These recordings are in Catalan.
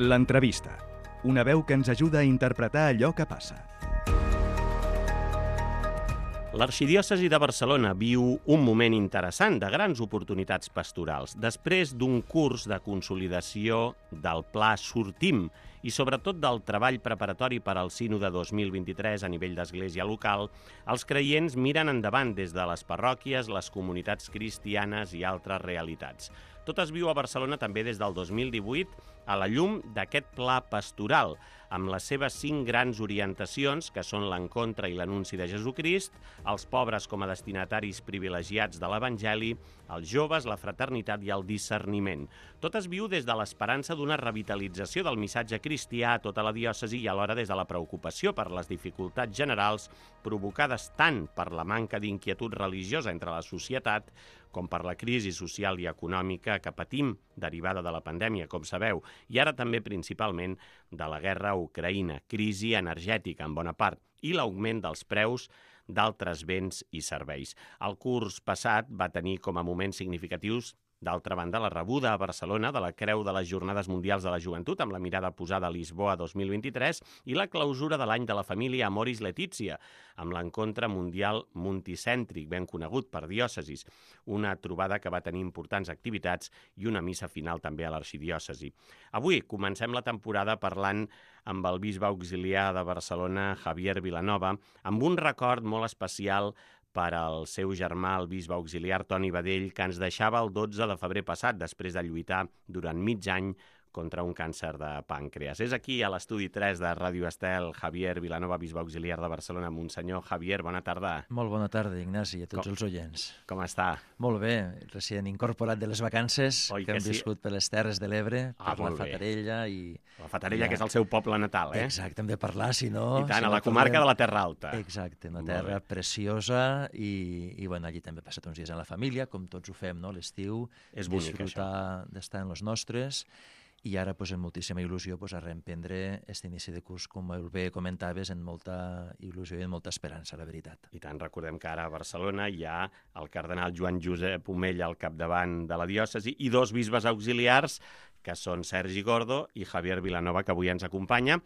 L'entrevista. Una veu que ens ajuda a interpretar allò que passa. L'arxidiòcesi de Barcelona viu un moment interessant de grans oportunitats pastorals. Després d'un curs de consolidació del Pla Sortim i sobretot del treball preparatori per al Sínode 2023 a nivell d'església local, els creients miren endavant des de les parròquies, les comunitats cristianes i altres realitats. Tot es viu a Barcelona també des del 2018 a la llum d'aquest pla pastoral, amb les seves 5 grans orientacions, que són l'encontre i l'anunci de Jesucrist, els pobres com a destinataris privilegiats de l'Evangeli, els joves, la fraternitat i el discerniment. Tot es viu des de l'esperança d'una revitalització del missatge cristià a tota la diòcesi i alhora des de la preocupació per les dificultats generals provocades tant per la manca d'inquietud religiosa entre la societat com per la crisi social i econòmica que patim derivada de la pandèmia, com sabeu, i ara també principalment de la guerra a Ucraïna, crisi energètica en bona part, i l'augment dels preus d'altres béns i serveis. El curs passat va tenir com a moments significatius, d'altra banda, la rebuda a Barcelona de la Creu de les Jornades Mundials de la Joventut amb la mirada posada a Lisboa 2023 i la clausura de l'any de la família Amoris Laetitia, amb l'encontre mundial multicèntric, ben conegut per diòcesis, una trobada que va tenir importants activitats i una missa final també a l'arxidiòcesi. Avui comencem la temporada parlant amb el bisbe auxiliar de Barcelona, Javier Vilanova, amb un record molt especial per al seu germà, el bisbe auxiliar Toni Badell, que ens deixava el 12 de febrer passat, després de lluitar durant mig any contra un càncer de pàncreas. És aquí, a l'estudi 3 de Ràdio Estel, Javier Vilanova, bisbe auxiliar de Barcelona. Monsenyor Javier, bona tarda. Molt bona tarda, Ignasi, i a tots els oients. Com està? Molt bé, recient incorporat de les vacances que hem viscut per les Terres de l'Ebre, per la Fatarella i... La Fatarella, que és el seu poble natal, eh? Exacte, hem de parlar, si no... I tant, a la comarca de la Terra Alta. Exacte, una terra preciosa i bueno, allí també he passat uns dies amb la família, com tots ho fem, no?, l'estiu. És bonic, això. Disfrutar d'estar en els nostres. I ara, doncs, amb moltíssima il·lusió, a reemprendre aquest inici de curs, com bé comentaves, amb molta il·lusió i amb molta esperança, la veritat. I tant, recordem que ara a Barcelona hi ha el cardenal Joan Josep Omella al capdavant de la diòcesi i 2 bisbes auxiliars, que són Sergi Gordo i Javier Vilanova, que avui ens acompanya,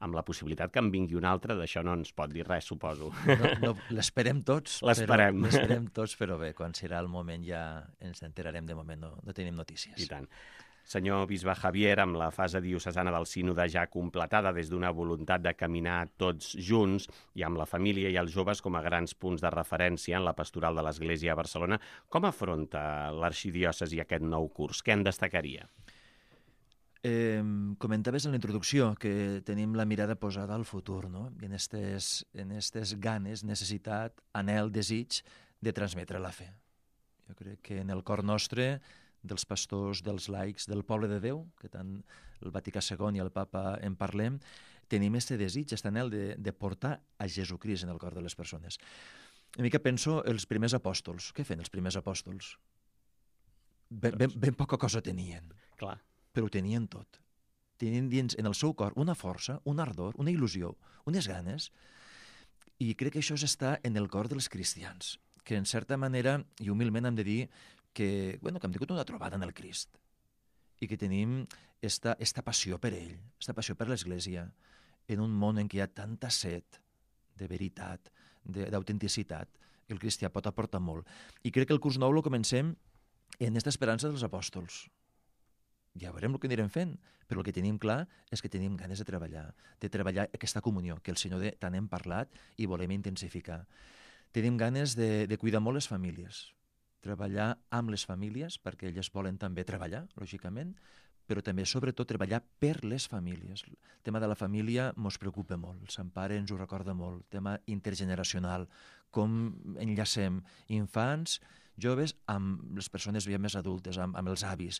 amb la possibilitat que en vingui un altre, d'això no ens pot dir res, suposo. No, l'esperem tots. L'esperem. L'esperem tots, però bé, quan serà el moment ja ens enterarem. De moment no tenim notícies. I tant. Senyor bisbe Javier, amb la fase diocesana del sínode ja completada des d'una voluntat de caminar tots junts i amb la família i els joves com a grans punts de referència en la pastoral de l'Església a Barcelona, com afronta l'arxidiòcesi aquest nou curs? Què en destacaria? Comentaves en la introducció que tenim la mirada posada al futur, no? I en estes ganes, necessitat, anhel, desig de transmetre la fe. Jo crec que en el cor nostre, dels pastors, dels laics, del poble de Déu, que tant el Vaticà II i el Papa en parlem, tenim aquest desig, aquest anhel de portar a Jesucrist en el cor de les persones. A mi que penso els primers apòstols. Què feien els primers apòstols? Ben poca cosa tenien. Clar. Però ho tenien tot. Tenien dins en el seu cor una força, un ardor, una il·lusió, unes ganes, i crec que això està en el cor dels cristians, que en certa manera, i humilment hem de dir, que hem tingut una trobada en el Crist i que tenim esta passió per ell, esta passió per l'Església, en un món en què hi ha tanta set de veritat, d'autenticitat, el cristià pot aportar molt. I crec que el curs nou el comencem en aquesta esperança dels apòstols. Ja veurem el que anirem fent, però el que tenim clar és que tenim ganes de treballar aquesta comunió, que el Senyor tant hem parlat i volem intensificar. Tenim ganes de cuidar molt les famílies, treballar amb les famílies, perquè elles volen també treballar, lògicament, però també, sobretot, treballar per les famílies. El tema de la família ens preocupa molt, el Sant Pare ens ho recorda molt, el tema intergeneracional, com enllacem infants, joves, amb les persones més adultes, amb els avis.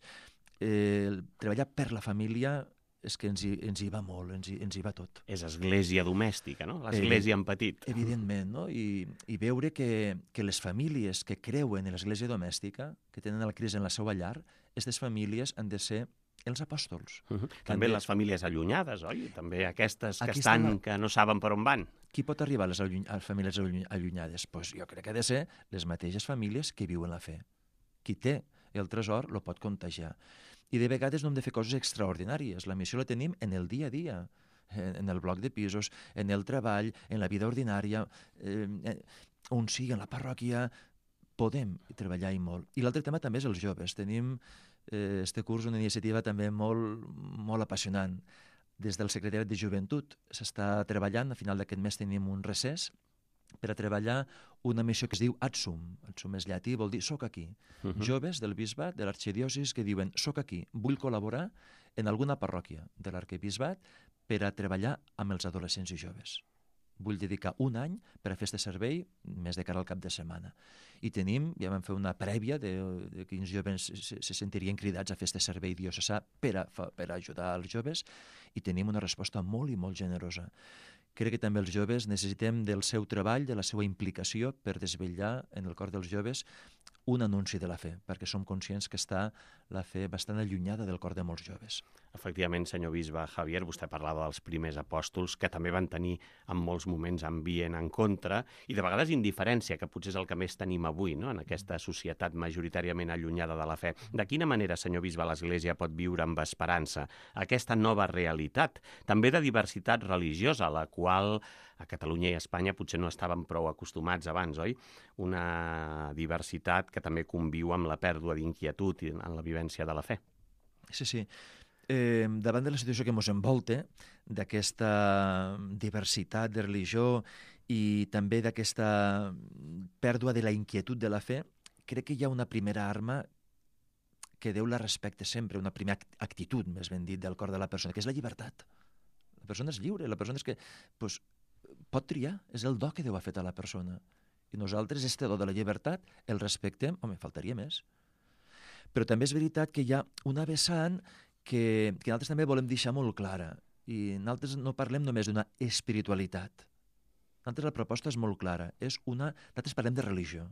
Treballar per la família és que ens hi va molt, ens hi va tot. És església domèstica, no? L'església en petit. Evidentment, no? I veure que les famílies que creuen en l'església domèstica, que tenen el Crist en la seva llar, aquestes famílies han de ser els apòstols. També les famílies allunyades, oi? També aquestes que no saben per on van. Qui pot arribar a les famílies allunyades? Pues jo crec que ha de ser les mateixes famílies que viuen la fe. Qui té el tresor lo pot contagiar. I de vegades no hem de fer coses extraordinàries. La missió la tenim en el dia a dia, en el bloc de pisos, en el treball, en la vida ordinària, on sigui, en la parròquia, podem treballar i molt. I l'altre tema també és els joves. Tenim este curs una iniciativa també molt apassionant. Des del Secretariat de Joventut s'està treballant, a final d'aquest mes tenim un recés, per a treballar una missió que es diu Adsum. Adsum és llatí, vol dir soc aquí. Joves del bisbat, de l'arxidiòcesi, que diuen soc aquí, vull col·laborar en alguna parròquia de l'arquebisbat per a treballar amb els adolescents i joves. Vull dedicar un any per a fer aquest servei, més de cara al cap de setmana. I tenim, ja vam fer una prèvia de quins joves se sentirien cridats a fer aquest servei diocesà per a ajudar els joves, i tenim una resposta molt i molt generosa. Crec que també els joves necessitem del seu treball, de la seva implicació per desvetllar en el cor dels joves un anunci de la fe, perquè som conscients que està la fe bastant allunyada del cor de molts joves. Efectivament, senyor bisbe Javier, vostè parlava dels primers apòstols, que també van tenir en molts moments ambient en contra, i de vegades indiferència, que potser és el que més tenim avui, no?, en aquesta societat majoritàriament allunyada de la fe. De quina manera, senyor bisbe, l'Església pot viure amb esperança aquesta nova realitat, també de diversitat religiosa, a la qual a Catalunya i a Espanya potser no estaven prou acostumats abans, oi? Una diversitat que també conviu amb la pèrdua d'inquietud en la vivència de la fe. Sí, sí. Davant de la situació que ens envolta, d'aquesta diversitat de religió i també d'aquesta pèrdua de la inquietud de la fe, crec que hi ha una primera arma que Déu la respecta sempre, una primera actitud, més ben dit, del cor de la persona, que és la llibertat. La persona és lliure, la persona és que pot triar, és el do que Déu ha fet a la persona. I nosaltres, este do de la llibertat, el respectem, home, faltaria més. Però també és veritat que hi ha una vessant que nosaltres també volem deixar molt clara. I nosaltres no parlem només d'una espiritualitat. Nosaltres la proposta és molt clara. Nosaltres parlem de religió.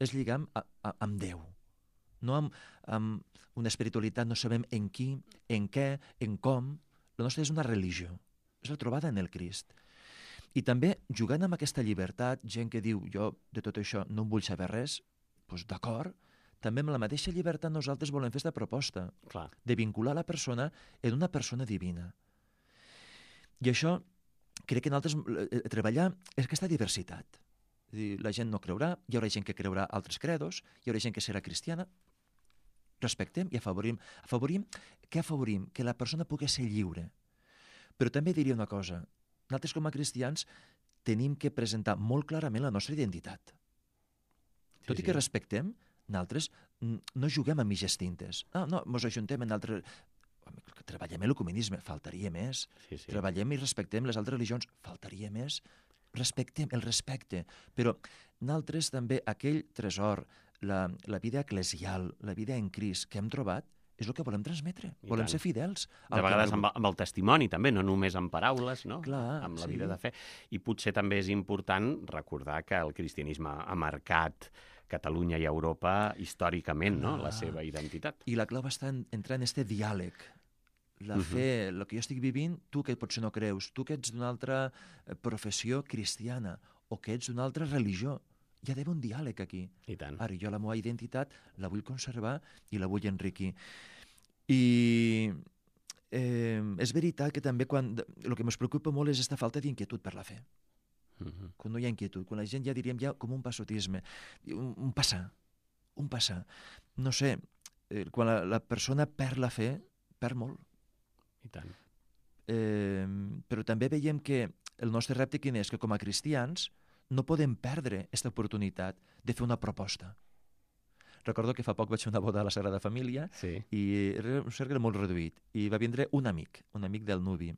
És lligar amb Déu. No amb una espiritualitat, no sabem en qui, en què, en com. La nostra és una religió. És la trobada en el Crist. I també, jugant amb aquesta llibertat, gent que diu, jo de tot això no en vull saber res, doncs d'acord, també amb la mateixa llibertat nosaltres volem fer aquesta proposta. Clar. De vincular la persona en una persona divina. I això, crec que nosaltres treballar és aquesta diversitat. És a dir, la gent no creurà, hi haurà gent que creurà altres credos, hi haurà gent que serà cristiana. Respectem i afavorim. Què afavorim? Que la persona pugui ser lliure. Però també diria una cosa. Nosaltres com a cristians tenim que presentar molt clarament la nostra identitat. Tot i que respectem, nosaltres no juguem a mitges tintes. No, ens ajuntem en altres... Treballem l'ecumenisme, faltaria més. Sí. Treballem i respectem les altres religions, faltaria més. Respectem el respecte. Però nosaltres també aquell tresor, la vida eclesial, la vida en Crist que hem trobat, és el que volem transmetre. Volem ser fidels. De vegades amb el testimoni, també, no només amb paraules, no? Clar, amb la vida de fe. I potser també és important recordar que el cristianisme ha marcat Catalunya i Europa històricament, no?, la seva identitat. I la clau està entrar en este diàleg. La fe, el que jo estic vivint, tu que potser no creus, tu que ets d'una altra professió cristiana o que ets d'una altra religió, hi ha d'haver un diàleg aquí. I tant. Ara, jo la meva identitat la vull conservar i la vull enriquir. I és veritat que també el que ens preocupa molt és aquesta falta d'inquietud per la fe. Quan no hi ha inquietud, quan la gent ja diríem com un passotisme, un passar. No sé, quan la persona perd la fe, perd molt. I tant. Però també veiem que el nostre repte quin és? Que com a cristians no podem perdre aquesta oportunitat de fer una proposta. Recordo que fa poc vaig fer una boda a la Sagrada Família i era un cercle molt reduït i va vindre un amic del nuvi,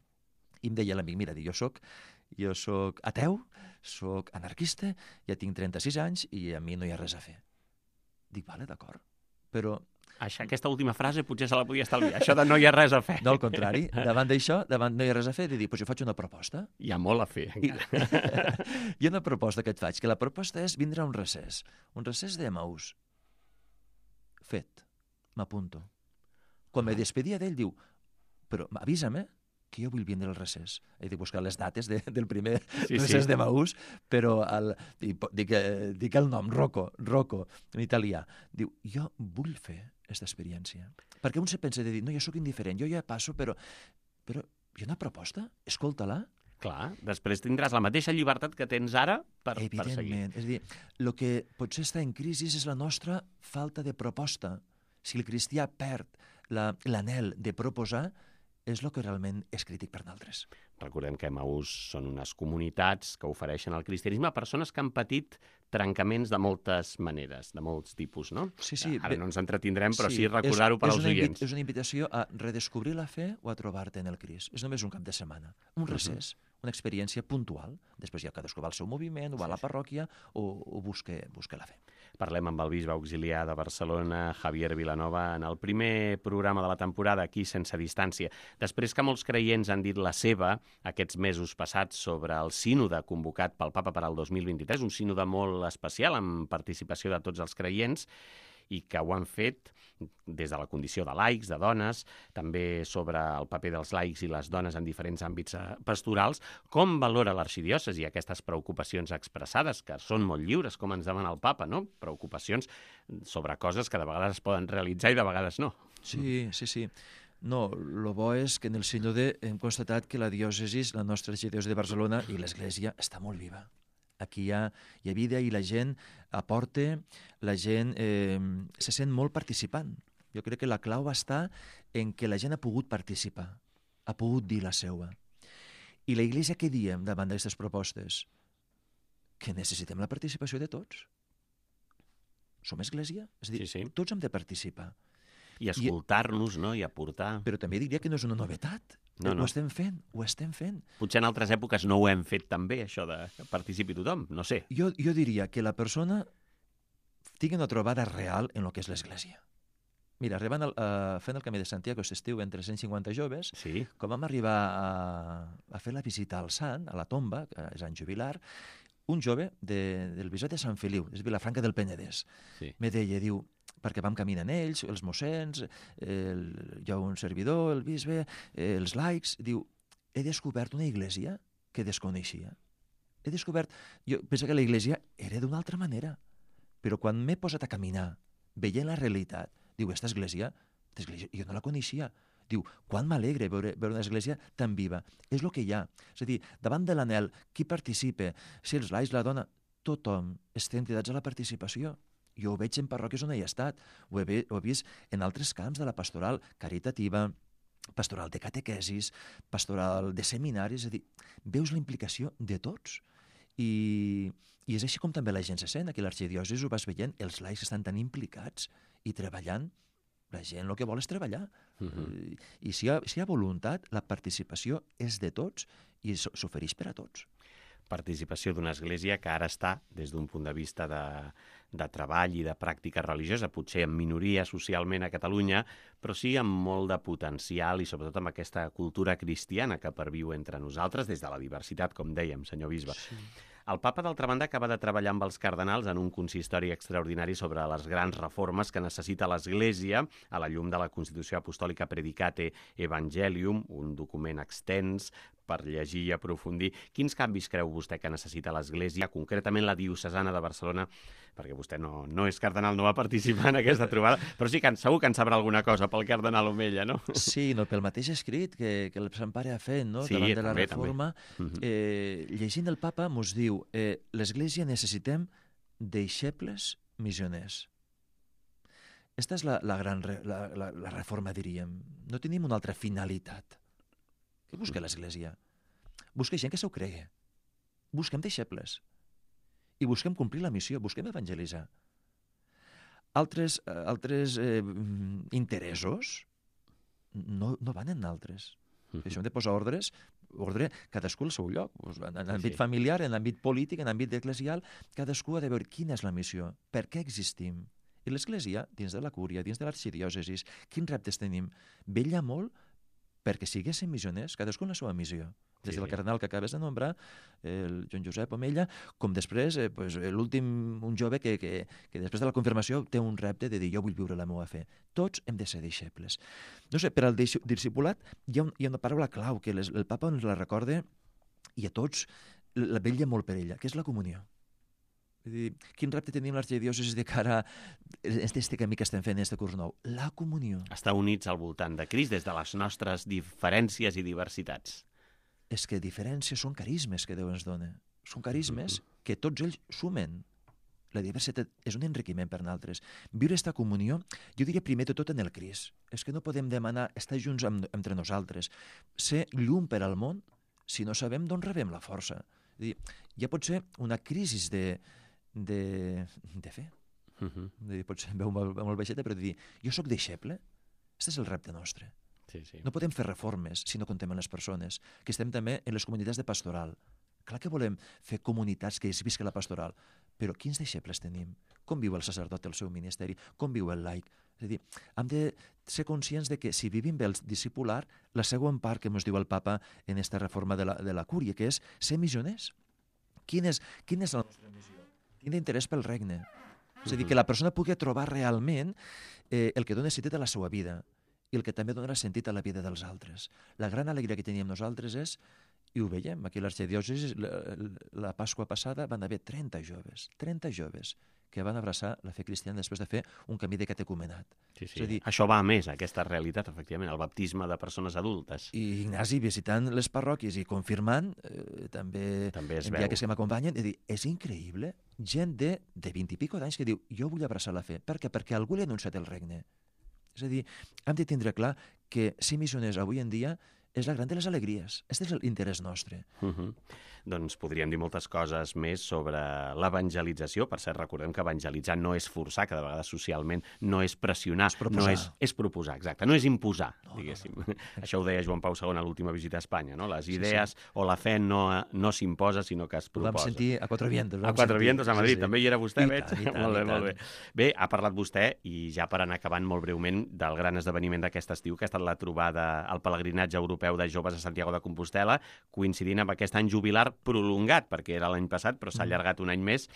i em deia l'amic, mira, jo soc ateu, soc anarquista, ja tinc 36 anys i a mi no hi ha res a fer. Dic, vale, d'acord, però... Aquesta última frase potser se la podia estalviar, això de no hi ha res a fer. No, al contrari, davant d'això, davant no hi ha res a fer, de dir, jo faig una proposta. Hi ha molt a fer. Hi ha una proposta que et faig, que la proposta és vindre a un recés d'Emaús. Fet, m'apunto. Quan me despedia d'ell, diu, però avisa'm, que jo vull vindre al recés. He de buscar les dates del primer Sí, recés sí. de Maús, però dic el nom, Rocco, en italià. Diu, jo vull fer aquesta experiència. Perquè un se pensa de dir, no, jo sóc indiferent, jo ja passo, però hi ha una proposta, escolta-la. Clar, després tindràs la mateixa llibertat que tens ara per seguir. Evidentment. És a dir, el que potser està en crisi és la nostra falta de proposta. Si el cristià perd l'anhel de proposar, és el que realment és crític per nosaltres. Recordem que Emaús són unes comunitats que ofereixen el cristianisme a persones que han patit trencaments de moltes maneres, de molts tipus, no? Sí, sí. Ara no ens entretindrem, però sí recordar-ho per als oients. És una invitació a redescobrir la fe o a trobar-te en el Crist. És només un cap de setmana, un recés, una experiència puntual. Després ja cadascú va al seu moviment, o va a la parròquia, o busca la fe. Parlem amb el bisbe auxiliar de Barcelona, Javier Vilanova, en el primer programa de la temporada, aquí sense distància. Després que molts creients han dit la seva aquests mesos passats sobre el sínode convocat pel Papa per al 2023, un sínode molt especial amb participació de tots els creients, i que ho han fet des de la condició de laics, de dones, també sobre el paper dels laics i les dones en diferents àmbits pastorals. Com valora l'arxidiòcesi aquestes preocupacions expressades, que són molt lliures, com ens demana el Papa, no? Preocupacions sobre coses que de vegades es poden realitzar i de vegades no. Sí. No, el bo és que en el sínode hem constatat que la diòcesi, la nostra arxidiòcesi de Barcelona i l'Església està molt viva. Aquí hi ha vida i la gent aporta, la gent se sent molt participant. Jo crec que la clau està en que la gent ha pogut participar, ha pogut dir la seva. I la Iglesia què diem davant d'aquestes propostes? Que necessitem la participació de tots. Som Església? És a dir, tots hem de participar. I escoltar-nos, no? I aportar. Però també diria que no és una novetat. No. Ho estem fent. Potser en altres èpoques no ho hem fet tan bé, això de que participi tothom, no sé. Jo diria que la persona tingui una trobada real en el que és l'Església. Mira, fent el Camí de Santiago aquest estiu entre 150 joves, quan vam arribar a fer la visita al sant, a la tomba, que és en jubilar, un jove del bisbat de Sant Feliu, és Vilafranca del Penedès, me deia, diu, perquè vam caminar en ells, els mossens, jo un servidor, el bisbe, els laics, diu, he descobert una iglesia que desconeixia. Jo penso que la iglesia era d'una altra manera, però quan m'he posat a caminar, veient la realitat, diu, aquesta església jo no la coneixia. Diu, quan m'alegre veure una església tan viva. És el que hi ha. És a dir, davant de l'anhel, qui participa? Si els laics, la dona, tothom estem cridats a la participació. Jo ho veig en parròquies on he estat, ho he vist en altres camps de la pastoral caritativa, pastoral de catequesis, pastoral de seminaris, és a dir, veus la implicació de tots. I és així com també la gent se sent. Aquí a l'arxidiòcesi ho vas veient, els laics estan tan implicats i treballant. La gent el que vol és treballar. I si hi ha voluntat, la participació és de tots i s'ofereix per a tots. Participació d'una església que ara està, des d'un punt de vista de treball i de pràctica religiosa, potser en minoria socialment a Catalunya, però sí amb molt de potencial i sobretot amb aquesta cultura cristiana que perviu entre nosaltres des de la diversitat, com dèiem, senyor bisbe. Sí. El papa, d'altra banda, acaba de treballar amb els cardenals en un consistori extraordinari sobre les grans reformes que necessita l'Església a la llum de la Constitució Apostòlica Predicate Evangelium, un document extens per llegir i aprofundir. Quins canvis creu vostè que necessita l'Església, concretament la diocesana de Barcelona, perquè vostè no és cardenal, no va participar en aquesta trobada, però sí que segur que en sabrà alguna cosa pel cardenal Omella, no? Sí, pel mateix escrit que el Sant Pare ha fet, no? Sí, davant de la reforma. Llegint el papa mos diu l'Església necessitem deixebles missioners. Esta és la reforma, diríem. No tenim una altra finalitat. Què busca l'Església? Busca gent que s'ho cregui. Busquem deixebles. I busquem complir la missió, busquem evangelitzar. Altres interessos no van en altres. Això hem de posar ordre, cadascú al seu lloc. En l'àmbit familiar, en l'àmbit polític, en l'àmbit eclesial, cadascú ha de veure quina és la missió, per què existim. I l'Església, dins de la cúria, dins de l'arxidiòcesis, quins reptes tenim? Vetlla molt perquè siguessin missioners, cadascú en la seva missió. Des del cardenal que acabes de nombrar, el Joan Josep Omella, com després l'últim, un jove que després de la confirmació té un repte de dir jo vull viure la meva fe. Tots hem de ser deixebles. No sé, per al discipulat hi ha una paraula clau que el papa ens la recorda i a tots la vetlla molt per ella, que és la comunió. Vull dir, quin repte tenim l'arxidiòcesi de cara a aquest camí que estem fent en aquest curs nou? La comunió. Estar units al voltant de Crist des de les nostres diferències i diversitats. És que diferències són carismes que Déu ens dona. Són carismes que tots ells sumen. La diversitat és un enriquiment per nosaltres. Viure aquesta comunió, jo diria primer de tot en el Crist. És que no podem demanar estar junts entre nosaltres. Ser llum per al món si no sabem d'on rebem la força. És dir, ja pot ser una crisi de fe. Pot ser molt baixeta, però dir, jo sóc deixeble. Aquest és el repte nostre. Sí, sí. No podem fer reformes si no contem amb les persones, que estem també en les comunitats de pastoral. Clar que volem fer comunitats que es visca la pastoral, però quins deixebles tenim? Com viu el sacerdot el seu ministeri? Com viu el laic? És a dir, hem de ser conscients de que si vivim bé el discipular, la següent part que ens diu el papa en aquesta reforma de la cúria, que és ser missioners. Quina és la nostra missió? Quin interès pel regne? És a dir, que la persona pugui trobar realment el que dona sentit a la seva vida i el que també donarà sentit a la vida dels altres. La gran alegria que teníem nosaltres és, i ho veiem, aquí a l'arxidiòcesi, la Pasqua passada van haver 30 joves que van abraçar la fe cristiana després de fer un camí de catecumenat. Sí. És a dir, això va a més, aquesta realitat, efectivament, el baptisme de persones adultes. I Ignasi visitant les parròquies i confirmant, també es en veu. viatges que m'acompanyen, és increïble, gent de 20 i pico d'anys que diu, jo vull abraçar la fe. Per què? Perquè algú li ha anunciat el regne. És a dir, hem de tindre clar que ser missioners avui en dia és la gran de les alegries. Aquest és l'interès nostre. Doncs podríem dir moltes coses més sobre l'evangelització. Per cert, recordem que evangelitzar no és forçar, que de vegades socialment no és pressionar, és proposar, exacte, no és imposar, diguéssim. Això ho deia Joan Pau II a l'última visita a Espanya, no? Les idees o la fe no s'imposa, sinó que es proposa. Ho vam sentir a Quatre Vientos. A Quatre Vientos, a Madrid. Sí. També hi era vostè, veig? Molt bé. Bé, ha parlat vostè, i ja per anar acabant molt breument, del gran esdeveniment d'aquest estiu, que ha estat la trobada al pelegrinatge europeu de joves a Santiago de Compostel·la, coincidint amb aquest any jubilar prolongat, perquè era l'any passat, però s'ha allargat un any més.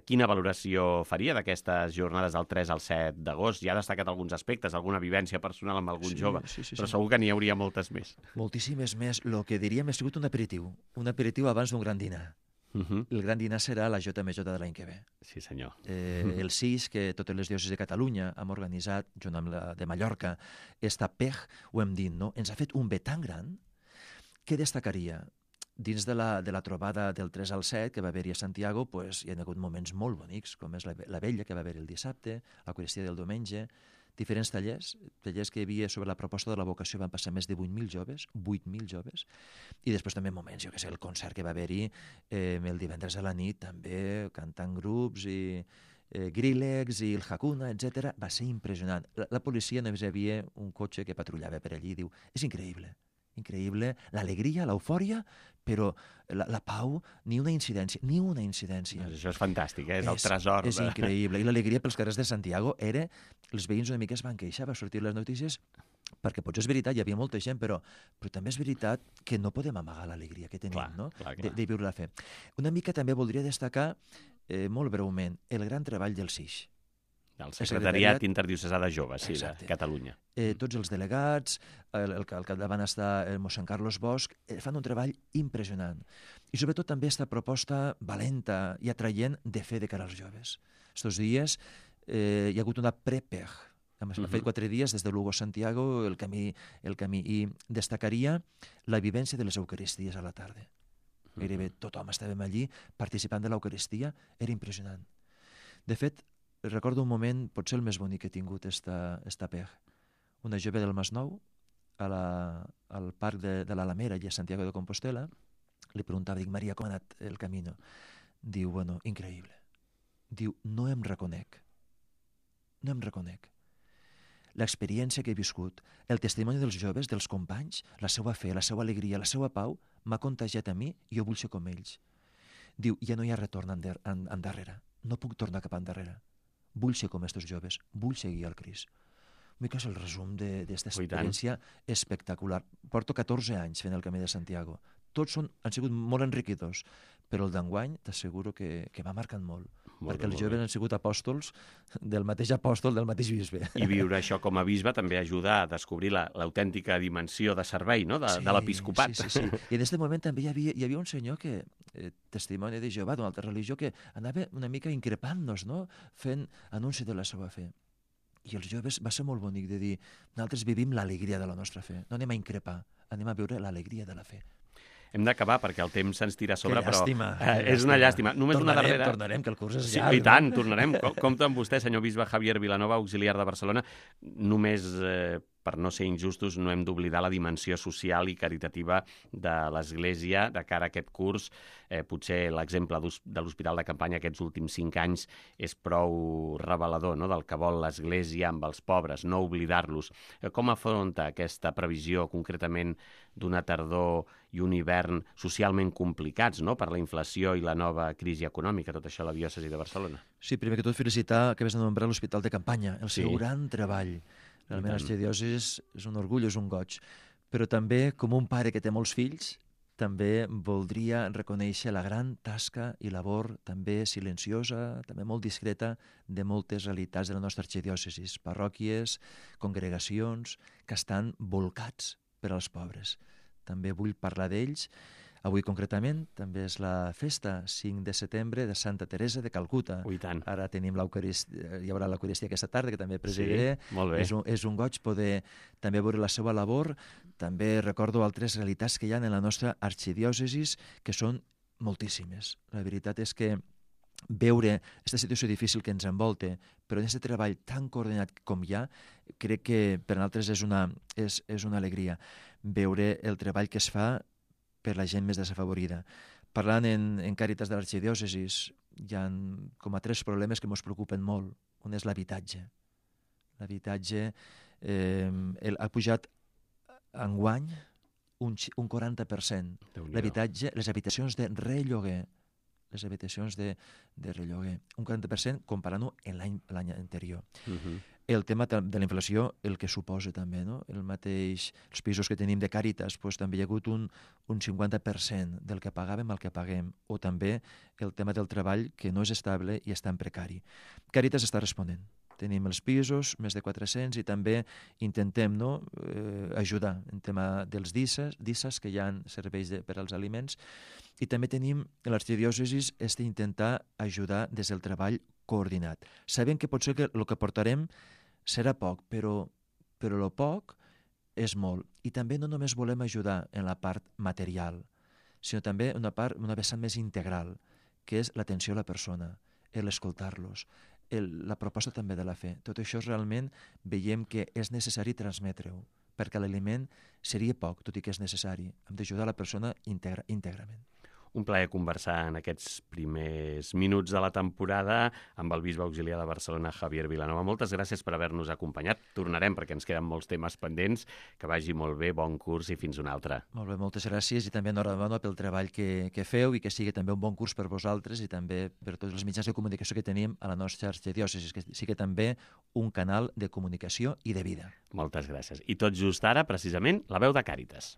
Quina valoració faria d'aquestes jornades del 3 al 7 d'agost? Ja ha destacat alguns aspectes, alguna vivència personal amb algun jove, però segur que n'hi hauria moltes més. Moltíssimes més. El que diríem ha sigut un aperitiu abans d'un gran dinar. El gran dinar serà la JMJ de l'any que ve. Sí, senyor. El 6, que totes les diòcesis de Catalunya hem organitzat, junt amb la de Mallorca, esta PEG, ho hem dit, no? Ens ha fet un bé tan gran que destacaria. Dins de la trobada del 3 al 7 que va haver-hi a Santiago, hi ha hagut moments molt bonics, com és la vella que va haver el dissabte, l'Eucaristia del diumenge, diferents tallers que hi havia sobre la proposta de la vocació. Van passar més de 8.000 joves, i després també moments, jo què sé, el concert que va haver-hi el divendres a la nit, també cantant grups i Grillex i el Hakuna, etc. Va ser impressionant. La policia només hi havia un cotxe que patrullava per allí, diu, és increïble, l'alegria, l'eufòria, però la pau, ni una incidència. Això és fantàstic, és el tresor. És increïble. I l'alegria pels carrers de Santiago era... Els veïns una mica es van queixar, va sortir les notícies, perquè potser és veritat, hi havia molta gent, però també és veritat que no podem amagar l'alegria que tenim, no? De viure la fe. Una mica també voldria destacar, molt breument, el gran treball del SIX. El Secretariat Interdiocesà de Joves, sí, de Catalunya. Tots els delegats, al capdavant està el mossèn Carlos Bosch, fan un treball impressionant. I sobretot també aquesta proposta valenta i atraient de fe de cara als joves. Estos dies hi ha hagut una pre-PEG. Hem fet 4 dies des de Lugo a Santiago, el camí, i destacaria la vivència de les Eucaristies a la tarda. Gairebé tothom estàvem allí participant de l'Eucaristia, era impressionant. De fet, recordo un moment, potser el més bonic que he tingut esta PEG. Una jove del Masnou, al parc de l'Alamera, allà a Santiago de Compostela, li preguntava, dic, Maria, com ha anat el camino? Diu, bueno, increïble. Diu, no em reconec. L'experiència que he viscut, el testimoni dels joves, dels companys, la seva fe, la seva alegria, la seva pau, m'ha contagiat a mi i jo vull ser com ells. Diu, ja no hi ha retorn endarrere. No puc tornar cap endarrere. Vull ser com aquests joves, vull seguir al Crist. mica és el resum d'esta Oh, i tant. experiència espectacular. Porto 14 anys fent el Camí de Santiago. Tots han sigut molt enriquidors, però el d'enguany t'asseguro que m'ha marcat molt. Molt Perquè bé, els molt joves bé. han sigut apòstols del mateix apòstol, del mateix bisbe. I viure això com a bisbe també ajuda a descobrir l'autèntica dimensió de servei, no?, de l'episcopat. Sí. I en aquest moment també hi havia un senyor que, testimoni de Jehovà, d'una altra religió, que anava una mica increpant-nos, no?, fent anunci de la seva fe. I els joves va ser molt bonic de dir, nosaltres vivim l'alegria de la nostra fe, no anem a increpar, anem a viure l'alegria de la fe. Hem d'acabar perquè el temps se'ns tira a sobre, Que llàstima, però és una llàstima. Només una darrera... Tornarem, que el curs és Sí, llarg. i tant, tornarem. Compte amb vostè, senyor bisbe Javier Vilanova, auxiliar de Barcelona. Només, per no ser injustos, no hem d'oblidar la dimensió social i caritativa de l'Església de cara a aquest curs. Potser l'exemple de l'Hospital de Campanya aquests últims 5 anys és prou revelador, no?, del que vol l'Església amb els pobres, no oblidar-los. Com afronta aquesta previsió, concretament, d'una tardor i un hivern socialment complicats, no?, per la inflació i la nova crisi econòmica, tot això a la diòcesi de Barcelona? Sí, primer que tot felicitar que vas anomenar l'Hospital de Campanya, el seu Sí. gran treball. Realment, tant. l'arxidiòcesi és un orgull, és un goig. Però també, com un pare que té molts fills, també voldria reconèixer la gran tasca i labor, també silenciosa, també molt discreta, de moltes realitats de la nostra arxidiòcesi, parròquies, congregacions, que estan volcats per als pobres. També vull parlar d'ells. Avui, concretament, també és la festa, 5 de setembre, de Santa Teresa de Calcuta. I tant. Ara tenim l'Eucaristia, hi haurà l'Eucaristia aquesta tarda, que també presidiré. Sí, molt bé. És un goig poder també veure la seva labor. També recordo altres realitats que hi ha en la nostra arxidiòcesis, que són moltíssimes. La veritat és que veure aquesta situació difícil que ens envolta, però en aquest treball tan coordinat com hi ha, crec que per nosaltres és una alegria veure el treball que es fa per la gent més desafavorida. Parlant en Càritas de l'arxidiòcesis, hi ha com a 3 problemes que ens preocupen molt. Un és l'habitatge. L'habitatge ha pujat enguany un 40%. L'habitatge, les habitacions de relloguer, un 40% comparant-ho amb l'any anterior. El tema de la inflació, el que suposa també, no? Els pisos que tenim de Càritas, també hi ha hagut un 50% del que pagàvem al que paguem, o també el tema del treball, que no és estable i està en precari. Càritas està responent. Tenim els pisos, més de 400, i també intentem ajudar en tema dels DISAs, que hi ha serveis per als aliments, i també tenim l'arxidiòcesis d'intentar ajudar des del treball coordinat. Sabem que potser el que portarem serà poc, però el poc és molt. I també no només volem ajudar en la part material, sinó també una vessant més integral, que és l'atenció a la persona, l'escoltar-los, la proposta també de la fe. Tot això realment veiem que és necessari transmetre-ho, perquè l'aliment seria poc, tot i que és necessari. Hem d'ajudar la persona íntegrament. Un plaer conversar en aquests primers minuts de la temporada amb el bisbe auxiliar de Barcelona, Javier Vilanova. Moltes gràcies per haver-nos acompanyat. Tornarem perquè ens queden molts temes pendents. Que vagi molt bé, bon curs i fins una altra. Molt bé, moltes gràcies i també enhorabona pel treball que feu i que sigui també un bon curs per vosaltres i també per tots els mitjans de comunicació que tenim a la nostra arxidiòcesi, que sigui també un canal de comunicació i de vida. Moltes gràcies. I tot just ara, precisament, la veu de Càritas.